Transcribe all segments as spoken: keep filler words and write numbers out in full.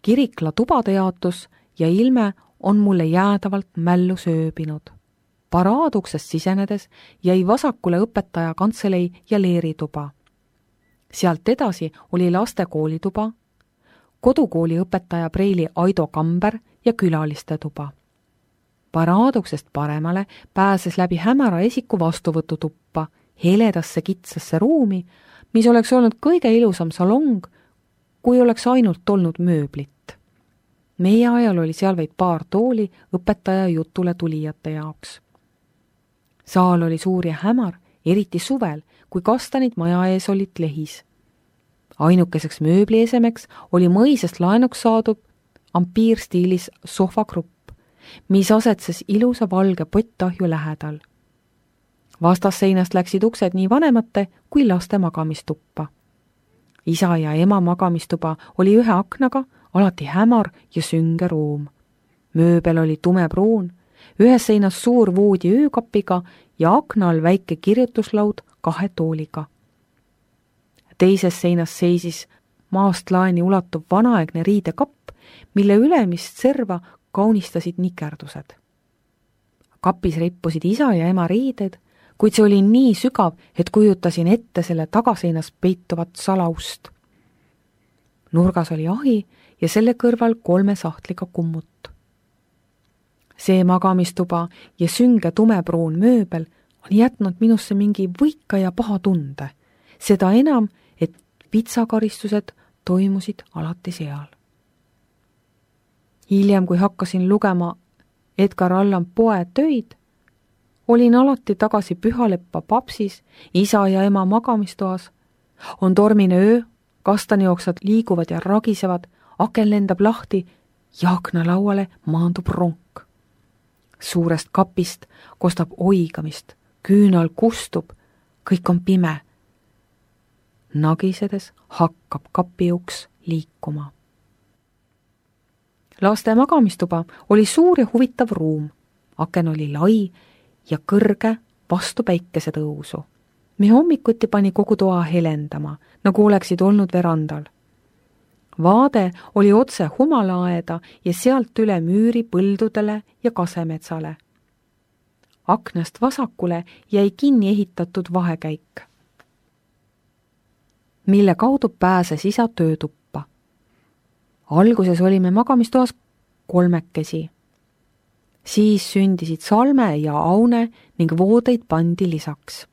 Kirikla tubade jaotus ja ilme on mulle jäädavalt mällu sööbinud. Paraaduksest sisenedes jäi vasakule õpetaja kantselei ja leerituba. Sealt edasi oli laste koolituba, kodukooli õpetaja preili Aido Kamber ja külaliste tuba. Paraaduksest paremale pääses läbi hämara esiku vastuvõtutuppa, heledasse kitsasse ruumi, mis oleks olnud kõige ilusam salong, kui oleks ainult olnud mööblit. Meie ajal oli seal vaid paar tooli õpetaja jutule tulijate jaoks. Saal oli suur ja hämar, eriti suvel, kui kastanid maja ees olid lehis. Ainukeseks mööbliesemeks oli mõisest laenuks saadud ampiirstiilis sohvagrupp, mis asetses ilusa valge pottahju lähedal. Vastasseinast läksid uksed nii vanemate kui laste magamistuppa. Isa ja ema magamistuba oli ühe aknaga, alati hämar ja sünge ruum. Mööbel oli tumepruun, ühes seinas suur voodi öökapiga ja akna all väike kirjutuslaud kahe tooliga. Teises seinas seisis maast laeni ulatuv vanaaegne riidekapp, mille ülemist serva kaunistasid nikerdused. Kapis rippusid isa ja ema riided, kuid see oli nii sügav, et kujutasin ette selle tagaseinas peituvat salaust. Nurgas oli ahi ja selle kõrval kolme sahtliga kummut. See magamistuba ja sünge tumepruun mööbel on jätnud minusse mingi võika ja paha tunde, seda enam, et vitsakaristused toimusid alati seal. Hiljem, kui hakkasin lugema Edgar Allan Poe töid, olin alati tagasi Pühaleppa papsis, isa ja ema magamistoas. On tormine öö, kastanijooksad liiguvad ja ragisevad, aken lendab lahti ja aknalauale maandub ronk. Suurest kapist kostab oigamist, küünal kustub, kõik on pime. Nagisedes hakkab kapiuks liikuma. Laste magamistuba oli suur ja huvitav ruum. Aken oli lai ja kõrge vastu päikese tõusu. Me hommikuti pani kogu toa helendama, nagu oleksid olnud verandal. Vaade oli otse humalaaeda ja sealt üle müüri põldudele ja kasemetsale. Aknast vasakule jäi kinni ehitatud vahekäik, mille kaudu pääses isa töötuppa. Alguses olime magamistoas kolmekesi. Siis sündisid Salme ja Aune ning voodeid pandi lisaks.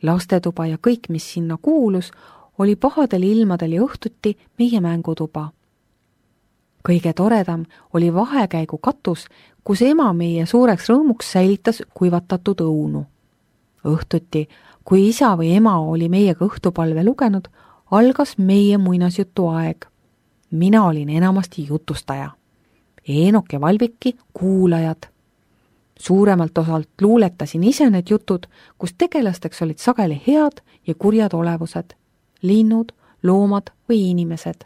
Lastetuba ja kõik, mis sinna kuulus, oli pahadel ilmadel ja õhtuti meie mängutuba. Kõige toredam oli vahekäigu katus, kus ema meie suureks rõõmuks säilitas kuivatatud õunu. Õhtuti, kui isa või ema oli meiega õhtupalve lugenud, algas meie muinasjutu aeg. Mina olin enamasti jutustaja. Eenok ja Valviki kuulajad. Suuremalt osalt luuletasin ise need jutud, kus tegelasteks olid sageli head ja kurjad olevused, linnud, loomad või inimesed.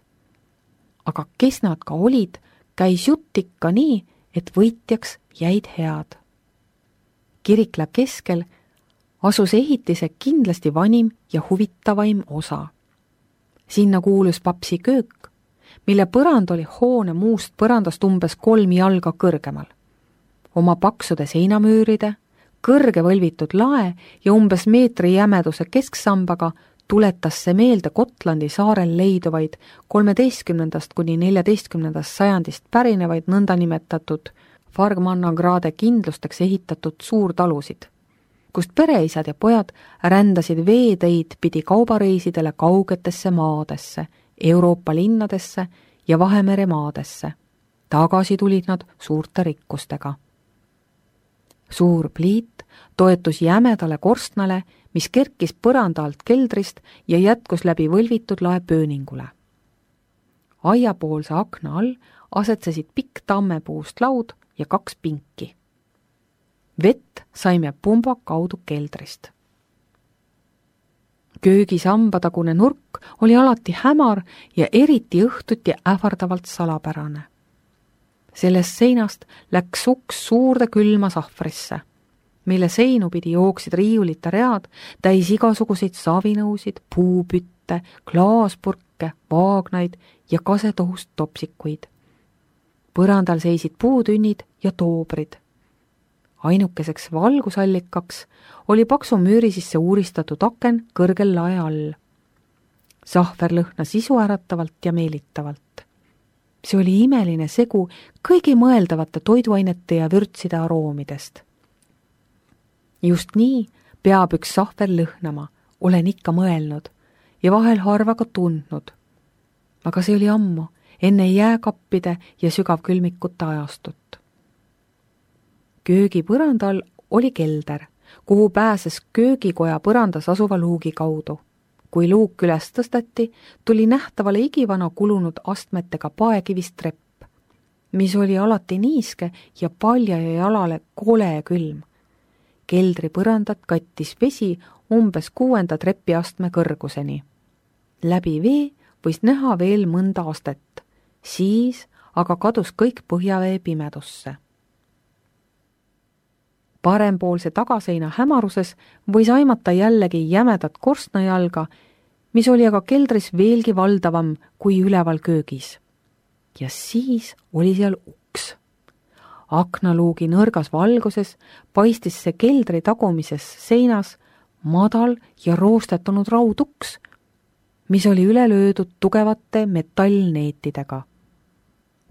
Aga kes nad ka olid, käis jutt ikka nii, et võitjaks jäid head. Kirikla keskel asus ehitise kindlasti vanim ja huvitavaim osa. Sinna kuulus papsi köök, mille põrand oli hoone muust põrandast umbes kolm jalga kõrgemal. Oma paksude seinamüüride, kõrge võlvitud lae ja umbes meetri jämeduse kesksambaga tuletas see meelde Gotlandi saarel leiduvaid kolmeteistkümnendast kuni neljateistkümnendast sajandist pärinevaid nõndanimetatud Fargmannagrade kindlusteks ehitatud suurtalusid, kust pereisad ja pojad rändasid veeteid pidi kaubareisidele kaugetesse maadesse, Euroopa linnadesse ja Vahemere maadesse. Tagasi tulid nad suurte rikkustega. Suur pliit toetus jämedale korstnale, mis kerkis põranda alt keldrist ja jätkus läbi võlvitud lae pööningule. Aiapoolse akna all asetsesid pikk tammepuust laud ja kaks pinki. Vett saime pumba kaudu keldrist. Köögisambadagune nurk oli alati hämar ja eriti õhtuti ähvardavalt salapärane. Sellest seinast läks uks suurde külma sahvrisse, mille seinu pidi jooksid riiulite read täis igasuguseid savinõusid, puupütte, klaaspurke Bachke, Wagnerit ja kasetohust topsikuid. Põrandal seisid puutünnid ja toobrid. Ainukeseks valgusallikaks oli paksu müüri sisse uuristatud aken kõrgel lae all. Sahver lõhnas isuäratavalt ja meelitavalt. See oli imeline segu kõigi mõeldavate toiduainete ja vürtside aroomidest. Just nii peab üks sahver lõhnama, olen ikka mõelnud ja vahel harva ka tundnud. Aga see oli ammu, enne jääkappide ja sügavkülmikute ajastut. Köögi põrandal oli kelder, kuhu pääses köögikoja põrandas asuva luugi kaudu. Kui luuk üles tõsteti, tuli nähtavale igivana kulunud astmetega paekivist trepp, mis oli alati niiske ja paljaja jalale kole külm. Keldri põrandat kattis vesi umbes kuuenda trepiastme kõrguseni. Läbi vee võis näha veel mõnda astet, siis aga kadus kõik põhjavee pimedusse. Parempoolse tagaseina hämaruses võis aimata jällegi jämedat korstnajalga, mis oli aga keldris veelgi valdavam kui üleval köögis. Ja siis oli seal uks. Aknaluugi nõrgas valguses paistis see keldri tagumises seinas madal ja roostetunud rauduks, mis oli üle löödud tugevate metallneetidega.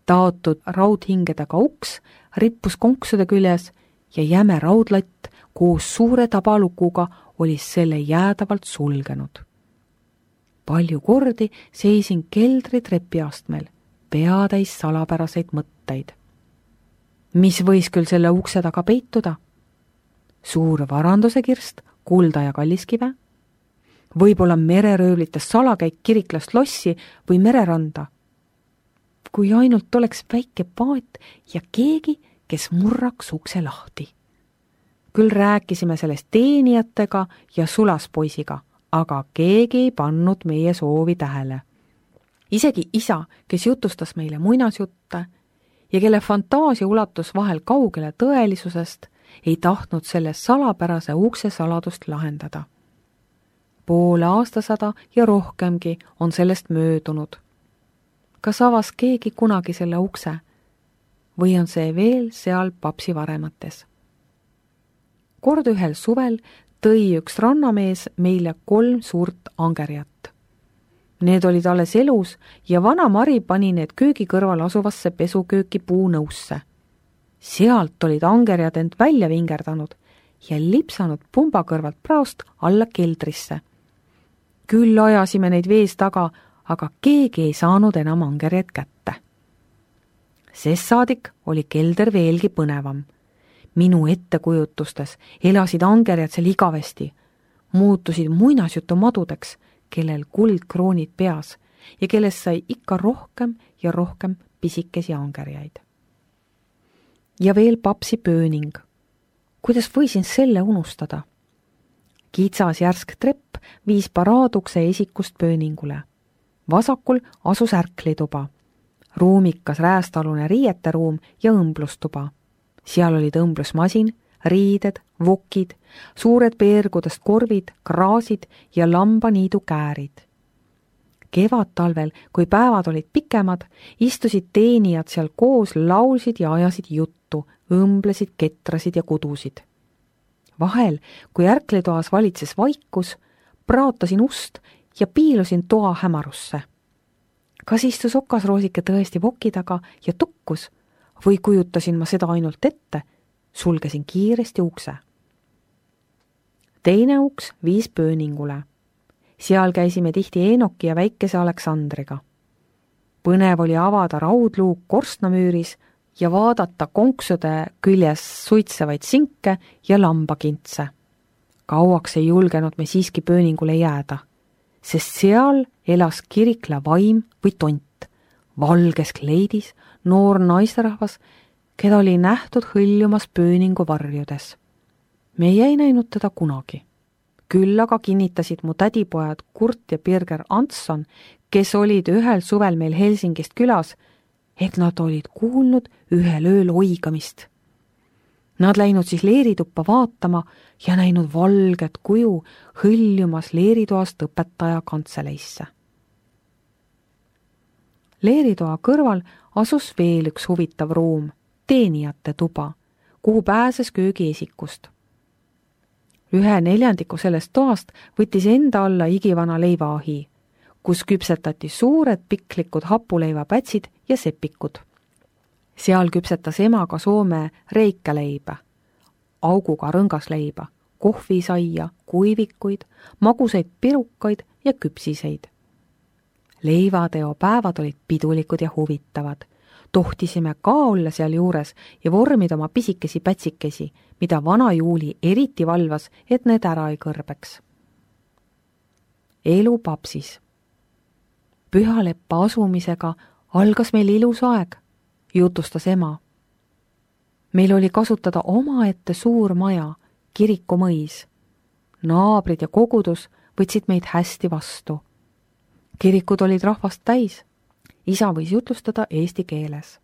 Taotud raudhingedega uks rippus konksude küljes ja jäme raudlatt koos suure tabalukuga oli selle jäädavalt sulgenud. Palju kordi seisin keldri trepiastmel, peatäis salapäraseid mõtteid. Mis võis küll selle ukse taga peituda? Suur varanduse kirst, kulda ja kalliskive? Võib-olla mereröövlitest salakäik Kiriklast lossi või mereranda? Kui ainult oleks väike paat ja keegi, kes murraks ukse lahti. Küll rääkisime sellest teenijatega ja sulaspoisiga, aga keegi ei pannud meie soovi tähele. Isegi isa, kes jutustas meile muinasjutte ja kelle fantaasia ulatus vahel kaugele tõelisusest, ei tahtnud selle salapärase ukse saladust lahendada. Poole aastasada ja rohkemgi on sellest möödunud. Kas avas keegi kunagi selle ukse? Või on see veel seal papsi varemates? Kord ühel suvel tõi üks rannamees meile kolm suurt angerjat. Need olid alles elus ja vana Mari pani need köögi kõrval asuvasse pesukööki puunõusse. Sealt olid angerjad end välja vingerdanud ja lipsanud pumba kõrvalt praost alla keldrisse. Küll ajasime neid vees taga, aga keegi ei saanud enam angerjad kätte. Sest saadik oli kelder veelgi põnevam. Minu ettekujutustes elasid angerjad seal igavesti, muutusid muinasjutu madudeks, kellel kuldkroonid peas ja kellest sai ikka rohkem ja rohkem pisikesi angerjaid. Ja veel papsi pööning. Kuidas võisin selle unustada? Kitsas järsk trepp viis paraadukse esikust pööningule. Vasakul asus ärklituba, ruumikas räästalune riieteruum ja õmblustuba. Seal olid õmblusmasin, riided, vokid, suured peergudest korvid, kraasid ja lambaniidu käärid. Kevad-talvel, kui päevad olid pikemad, istusid teenijad seal koos, laulsid ja ajasid juttu, õmblesid, ketrasid ja kudusid. Vahel, kui ärklitoas valitses vaikus, praotasin ust ja piilusin toa hämarusse. Kas istus okasroosike tõesti voki taga ja tukkus või kujutasin ma seda ainult ette, sulgesin kiiresti ukse. Teine uks viis pööningule. Seal käisime tihti Eenoki ja väikese Aleksandriga. Põnev oli avada raudluuk korstnamüüris ja vaadata konksude küljes suitsevaid sinke ja lambakintse. Kauaks ei julgenud me siiski pööningule jääda, sest seal elas Kirikla vaim või tont, valges kleidis, noor naisterahvas, keda oli nähtud hõljumas pööningu varjudes. Me ei näinud teda kunagi. Küll aga kinnitasid mu tädipojad Kurt ja Birger Antson, kes olid ühel suvel meil Helsingist külas, et nad olid kuulnud ühel ööl oigamist. Nad läinud siis leerituppa vaatama ja näinud valget kuju hõljumas leeritoast õpetaja kantseleisse. leeritoa kõrval asus veel üks huvitav ruum, teenijate tuba, kuhu pääses köögiesikust. Ühe neljandiku sellest toast võttis enda alla igivana leivaahi, kus küpsetati suured piklikud hapuleivapätsid ja sepikud. Seal küpsetas ema ka Soome reikaleiba, auguga rõngasleiba, kohvisaia, kuivikuid, magusaid pirukaid ja küpsiseid. Leivateo päevad olid pidulikud ja huvitavad. Tohtisime ka olla seal juures ja vormida oma pisikesi pätsikesi, mida vana Juuli eriti valvas, et need ära ei kõrbeks. Elu Papsis. Pühaleppa asumisega algas meil ilus aeg, jutustas ema. Meil oli kasutada omaette suur maja, kirikumõis. Naabrid ja kogudus võtsid meid hästi vastu. Kirikud olid rahvast täis. Isa võis jutlustada eesti keeles.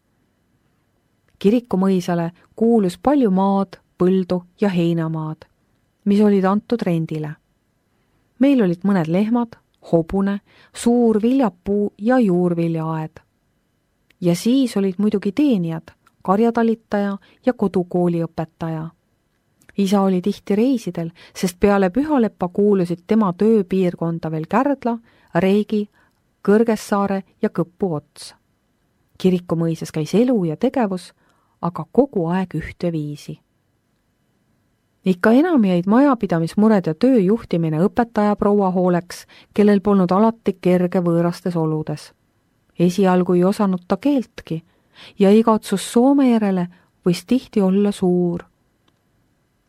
Kirikumõisale kuulus palju maad, põldu ja heinamaad, mis olid antud rendile. Meil olid mõned lehmad, hobune, suur viljapuu ja juurviljaaed. Ja siis olid muidugi teenijad, karjatalitaja ja kodukooliõpetaja. Isa oli tihti reisidel, sest peale Pühaleppa kuulusid tema tööpiirkonda veel Kärdla, Reigi, Kõrgessaare ja Kõppu ots. Kirikumõises käis elu ja tegevus, aga kogu aeg ühte viisi. Ikka enam jäid majapidamismured ja töö juhtimine õpetaja proua hooleks, kellel polnud alati kerge võõrastes oludes. Esialgu ei osanud ta keeltki ja igatsus Soome järele võis tihti olla suur.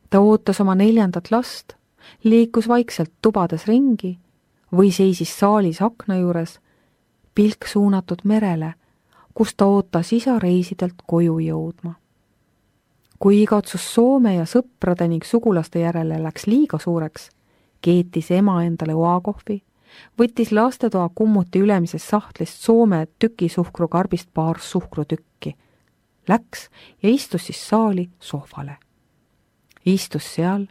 Ta ootas oma neljandat last, liikus vaikselt tubades ringi või seisis saalis akna juures, pilk suunatud merele, kus ta ootas isa reisidelt koju jõudma. Kui igatsus Soome ja sõprade ning sugulaste järele läks liiga suureks, keetis ema endale oakohvi, võttis lastetoa kummuti ülemisest sahtlist Soome tükisuhkrukarbist paar suhkrutükki, läks ja istus siis saali sohvale. Istus seal,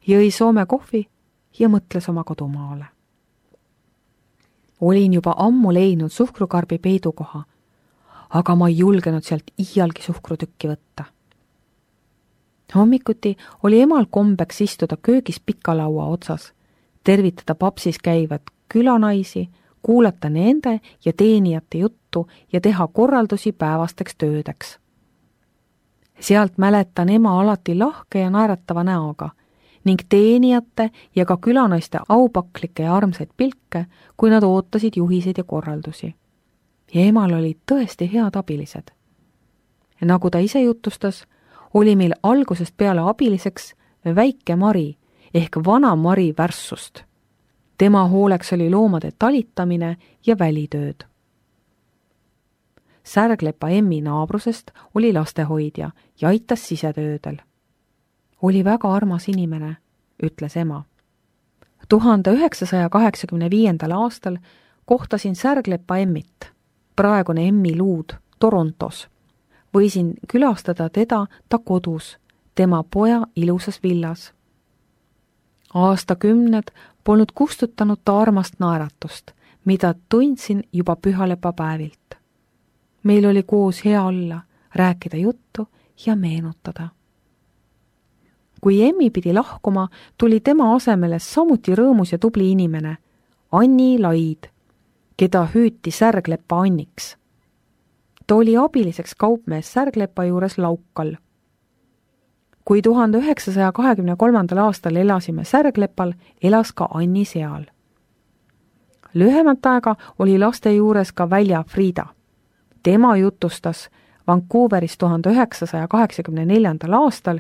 jõi Soome kohvi ja mõtles oma kodumaale. Olin juba ammu leidnud suhkrukarbi peidukoha, aga ma ei julgenud sealt iialgi suhkrutükki võtta. Hommikuti oli emal kombeks istuda köögis pikalaua otsas, tervitada Papsis käivad külanaisi, kuulata nende ja teenijate juttu ja teha korraldusi päevasteks töödeks. Sealt mäletan ema alati lahke ja naeratava näoga ning teenijate ja ka külanaiste aupaklikke ja armsaid pilke, kui nad ootasid juhiseid ja korraldusi. Ja emal olid tõesti head abilised. Ja nagu ta ise jutustas, oli meil algusest peale abiliseks väike Mari ehk vana Mari Värssust. Tema hooleks oli loomade talitamine ja välitööd. Särglepa emmi naabrusest oli lastehoidja ja aitas sisetöödel. Oli väga armas inimene, ütles ema. tuhande üheksasaja kaheksakümne viiendal aastal kohtasin Särglepa emmit, praegune emmi luud Torontos. Võisin külastada teda ta kodus, tema poja ilusas villas. Aastakümned polnud kustutanud ta armast naeratust, mida tundsin juba Pühalepa päevilt. Meil oli koos hea olla, rääkida juttu ja meenutada. Kui emmi pidi lahkuma, tuli tema asemele samuti rõõmus ja tubli inimene, Anni Laid, keda hüüti Särglepa Anniks. Ta oli abiliseks kaupmees Särglepa juures Laukal. Kui tuhande üheksasaja kahekümne kolmandal aastal elasime Särglepal, elas ka Anni seal. Lühemat aega oli laste juures ka Välja Friida. Tema jutustas Vancouveris tuhande üheksasaja kaheksakümne neljandal aastal,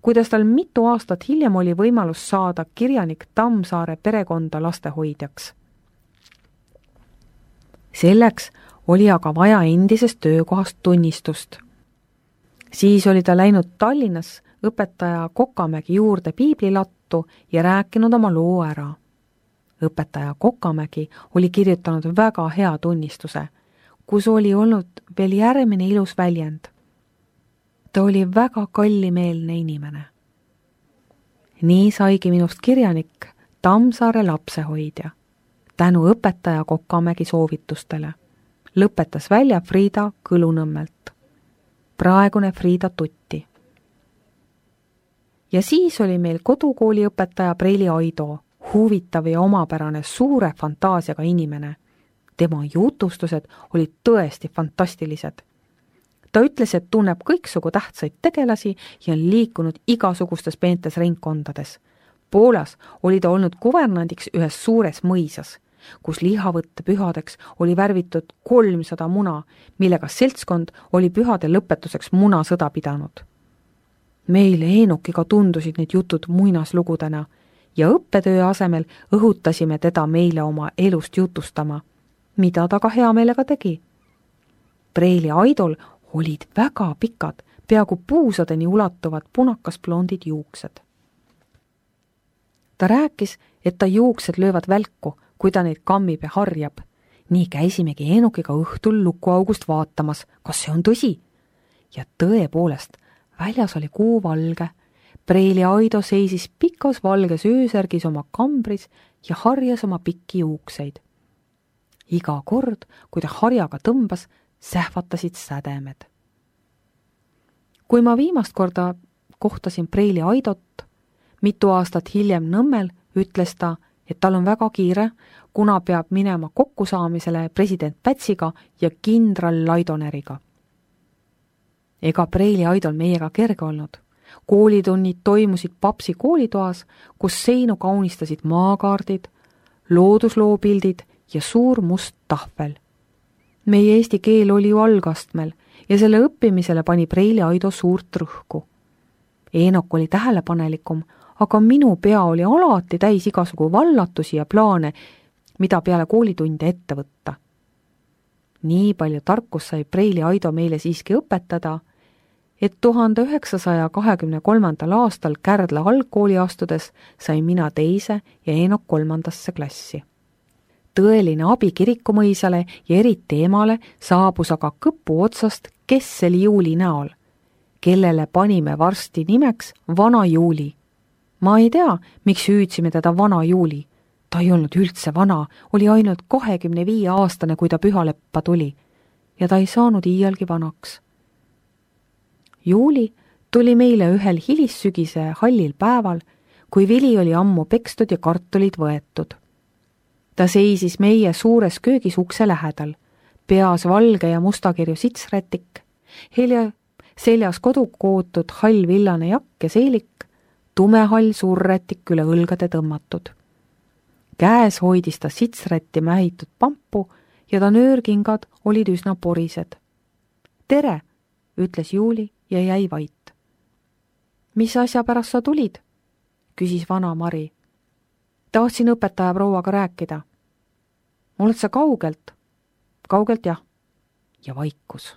kuidas tal mitu aastat hiljem oli võimalus saada kirjanik Tammsaare perekonda lastehoidjaks. Selleks oli aga vaja endisest töökohast tunnistust. Siis oli ta läinud Tallinnas õpetaja Kokamägi juurde piiblilattu ja rääkinud oma loo ära. Õpetaja Kokamägi oli kirjutanud väga hea tunnistuse, kus oli olnud veel järgmine ilus väljend. Ta oli väga kallimeelne inimene. Nii saigi minust kirjanik Tammsaare lapsehoidja, tänu õpetaja Kokamägi soovitustele. lõpetas välja Frieda Kõlunõmmelt, praegune Frieda Tutti. Ja siis oli meil kodukooli õpetaja Preili Aido, huvitav ja omapärane suure fantaasiaga inimene. Tema jutustused olid tõesti fantastilised. Ta ütles, et tunneb kõiksugu tähtsaid tegelasi ja on liikunud igasugustes peentes ringkondades. Poolas oli ta olnud kuvernandiks ühes suures mõisas, kus lihavõtte pühadeks oli värvitud kolmsada muna, millega seltskond oli pühade lõpetuseks munasõda pidanud. Meile Eenukiga tundusid need jutud muinaslugudena ja õppetöö asemel õhutasime teda meile oma elust jutustama, mida ta ka hea meelega tegi. Preili Aidol olid väga pikad, peaaegu puusadeni ulatuvad punakas blondid juuksed. Ta rääkis, et ta juuksed löövad välku, kui ta neid kammib ja harjab. Nii käisimegi Eenukiga õhtul lukuaugust vaatamas, kas see on tõsi. Ja tõepoolest, väljas oli kuu valge. Preili Aido seisis pikas valges öösärgis oma kambris ja harjas oma pikki juukseid. Iga kord, kui ta harjaga tõmbas, sähvatasid sädemed. Kui ma viimast korda kohtasin Preili Aidot, mitu aastat hiljem Nõmmel, ütles ta, et tal on väga kiire, kuna peab minema kokkusaamisele president Pätsiga ja kindral Laidoneriga. Ega Preili Aidol meiega kerge olnud. Koolitunnid toimusid Papsi koolitoas, kus seinu kaunistasid maakaardid, loodusloopildid ja suur must tahvel. Meie eesti keel oli ju algastmel ja selle õppimisele pani Preili Aido suurt rõhku. Eenok oli tähelepanelikum, aga minu pea oli alati täis igasugu vallatusi ja plaane, mida peale koolitunde ette võtta. Nii palju tarkus sai Preili Aido meile siiski õpetada, et tuhande üheksasaja kahekümne kolmandal aastal Kärdla algkooli astudes sai mina teise ja Eenok kolmandasse klassi. Tõeline abi kirikumõisale ja eriti emale saabus aga kõpu otsast Kessel Juuli näol, kellele panime varsti nimeks Vana Juuli. Ma ei tea, miks hüüdsime teda Vana Juuli. Ta ei olnud üldse vana, oli ainult kahekümne viie aastane, kui ta pühaleppa tuli. Ja ta ei saanud iialgi vanaks. Juuli tuli meile ühel hilissügise hallil päeval, kui vili oli ammu pekstud ja kartulid võetud. Ta seisis meie suures köögis ukse lähedal, peas valge ja mustakirju sitsrätik, helja seljas kodukootud hall villane jakk ja seelik, tumehall suurrätik üle õlgade tõmmatud. Käes hoidis ta sitsrätti mähitud pampu ja ta nöörkingad olid üsna porised. Tere, ütles Juuli ja jäi vait. Mis asja pärast sa tulid? Küsis vana Mari. Tahtsin õpetaja prouaga rääkida. Oled sa kaugelt? Kaugelt jah. Ja vaikus.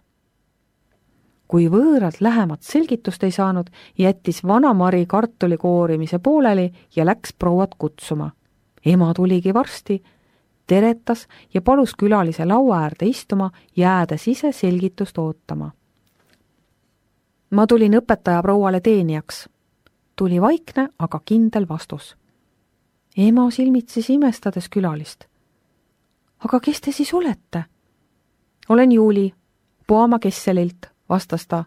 Kui võõrad lähemat selgitust ei saanud, jättis vana Mari kartuli koorimise pooleli ja läks prouat kutsuma. Ema tuligi varsti, teretas ja palus külalise laua äärde istuma, jäädes ise selgitust ootama. Ma tulin õpetaja prouale teenijaks. Tuli vaikne, aga kindel vastus. Ema silmitses imestades külalist. Aga kes te siis olete? Olen Juuli, Poama Kesselilt, vastas ta.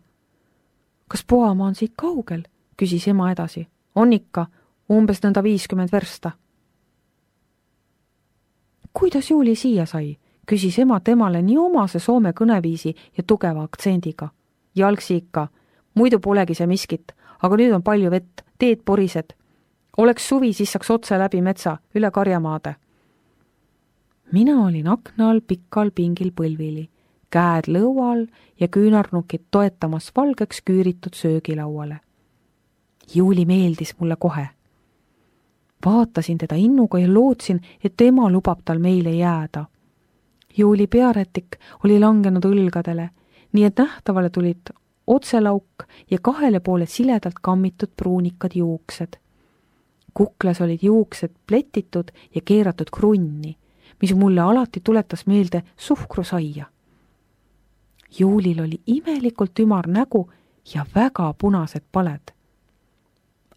Kas Poama on siit kaugel? Küsis ema edasi. On ikka, umbes nõnda viiskümmend versta. Kuidas Juuli siia sai? Küsis ema temale nii omase soome kõneviisi ja tugeva aktsendiga. Jalgsi ikka, muidu polegi see miskit, aga nüüd on palju vett, teed porised. Oleks suvi, siis saaks otse läbi metsa, üle karjamaade. Mina olin akna all pikkal pingil põlvili, käed lõual ja küünarnukid toetamas valgeks küüritud söögilauale. Juuli meeldis mulle kohe. Vaatasin teda innuga ja lootsin, et ema lubab tal meile jääda. Juuli pearätik oli langenud õlgadele, nii et nähtavale tulid otselauk ja kahele poole siledalt kammitud pruunikad juuksed. Kuklas olid juuksed pletitud ja keeratud krunni, mis mulle alati tuletas meelde suhkrusaia. Juulil oli imelikult ümar nägu ja väga punased paled.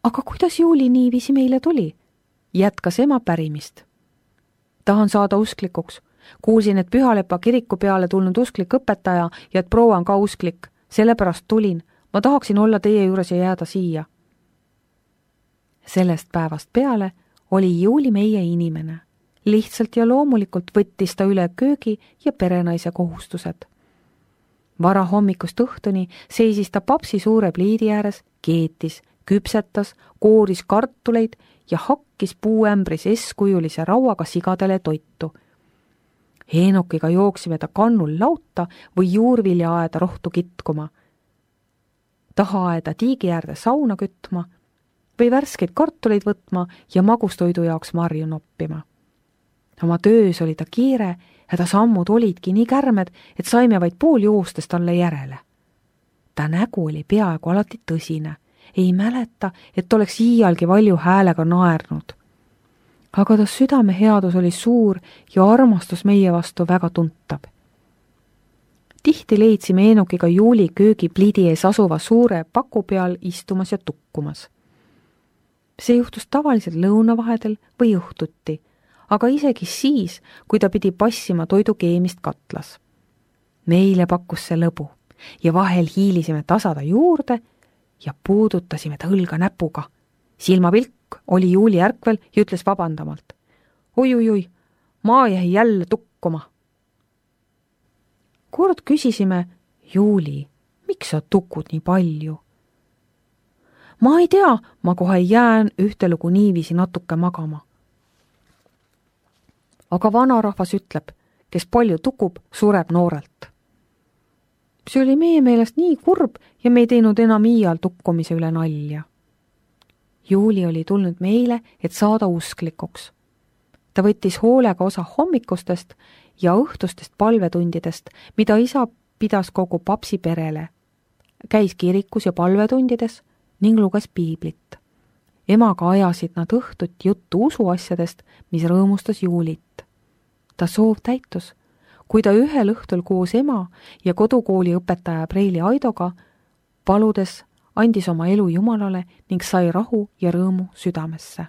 Aga kuidas Juuli niiviisi meile tuli? Jätkas ema pärimist. Tahan saada usklikuks. Kuulsin, et Pühalepa kiriku peale tulnud usklik õpetaja ja et proua on ka usklik. Sellepärast tulin. Ma tahaksin olla teie juures ja jääda siia. Sellest päevast peale oli Juuli meie inimene. Lihtsalt ja loomulikult võttis ta üle köögi ja perenaise kohustused. Vara hommikust õhtuni seisis ta papsi suure pliidi ääres, keetis, küpsetas, kooris kartuleid ja hakkis puuämbris eskujulise rauaga sigadele toitu. Heenokiga jooksime ta kannul lauta või juurviljaaeda rohtu kitkuma, tahaaeda tiigi äärde sauna kütma või värskeid kartuleid võtma ja magustoidu jaoks marju noppima. Oma töös oli ta kiire ja ta sammud olidki nii kärmed, et saime vaid pool joostes talle järele. Ta nägu oli peaaegu alati tõsine, ei mäleta, et oleks iialgi valju häälega naernud. Aga ta südame headus oli suur ja armastus meie vastu väga tuntav. Tihti leidsime Eenokiga Juuli köögi pliidi ees asuva suure paku peal istumas ja tukkumas. See juhtus tavaliselt lõunavahedel või õhtuti, aga isegi siis, kui ta pidi passima toidu keemist katlas. Meile pakkus see lõbu ja vahel hiilisime tasada juurde ja puudutasime ta õlga näpuga. Silmapilk oli Juuli ärkvel ja ütles vabandamalt. Oi-oi-oi, ma jäi jälle tukkuma. Kord küsisime, Juuli, miks sa tukud nii palju? Ma ei tea, ma kohe jään ühtelugu niiviisi natuke magama. Aga vanarahvas ütleb, kes palju tukub, sureb noorelt. See oli meie meelest nii kurb ja me ei teinud enam iial tukkumise üle nalja. Juuli oli tulnud meile, et saada usklikuks. Ta võttis hoolega osa hommikustest ja õhtustest palvetundidest, mida isa pidas kogu papsi perele. Käis kirikus ja palvetundides ning luges piiblit. Emaga ajasid nad õhtut juttu usuasjadest, mis rõõmustas Juulit. Ta soov täitus, kui ta ühel õhtul koos ema ja kodukooli õpetaja Preili Aidoga paludes andis oma elu Jumalale ning sai rahu ja rõõmu südamesse.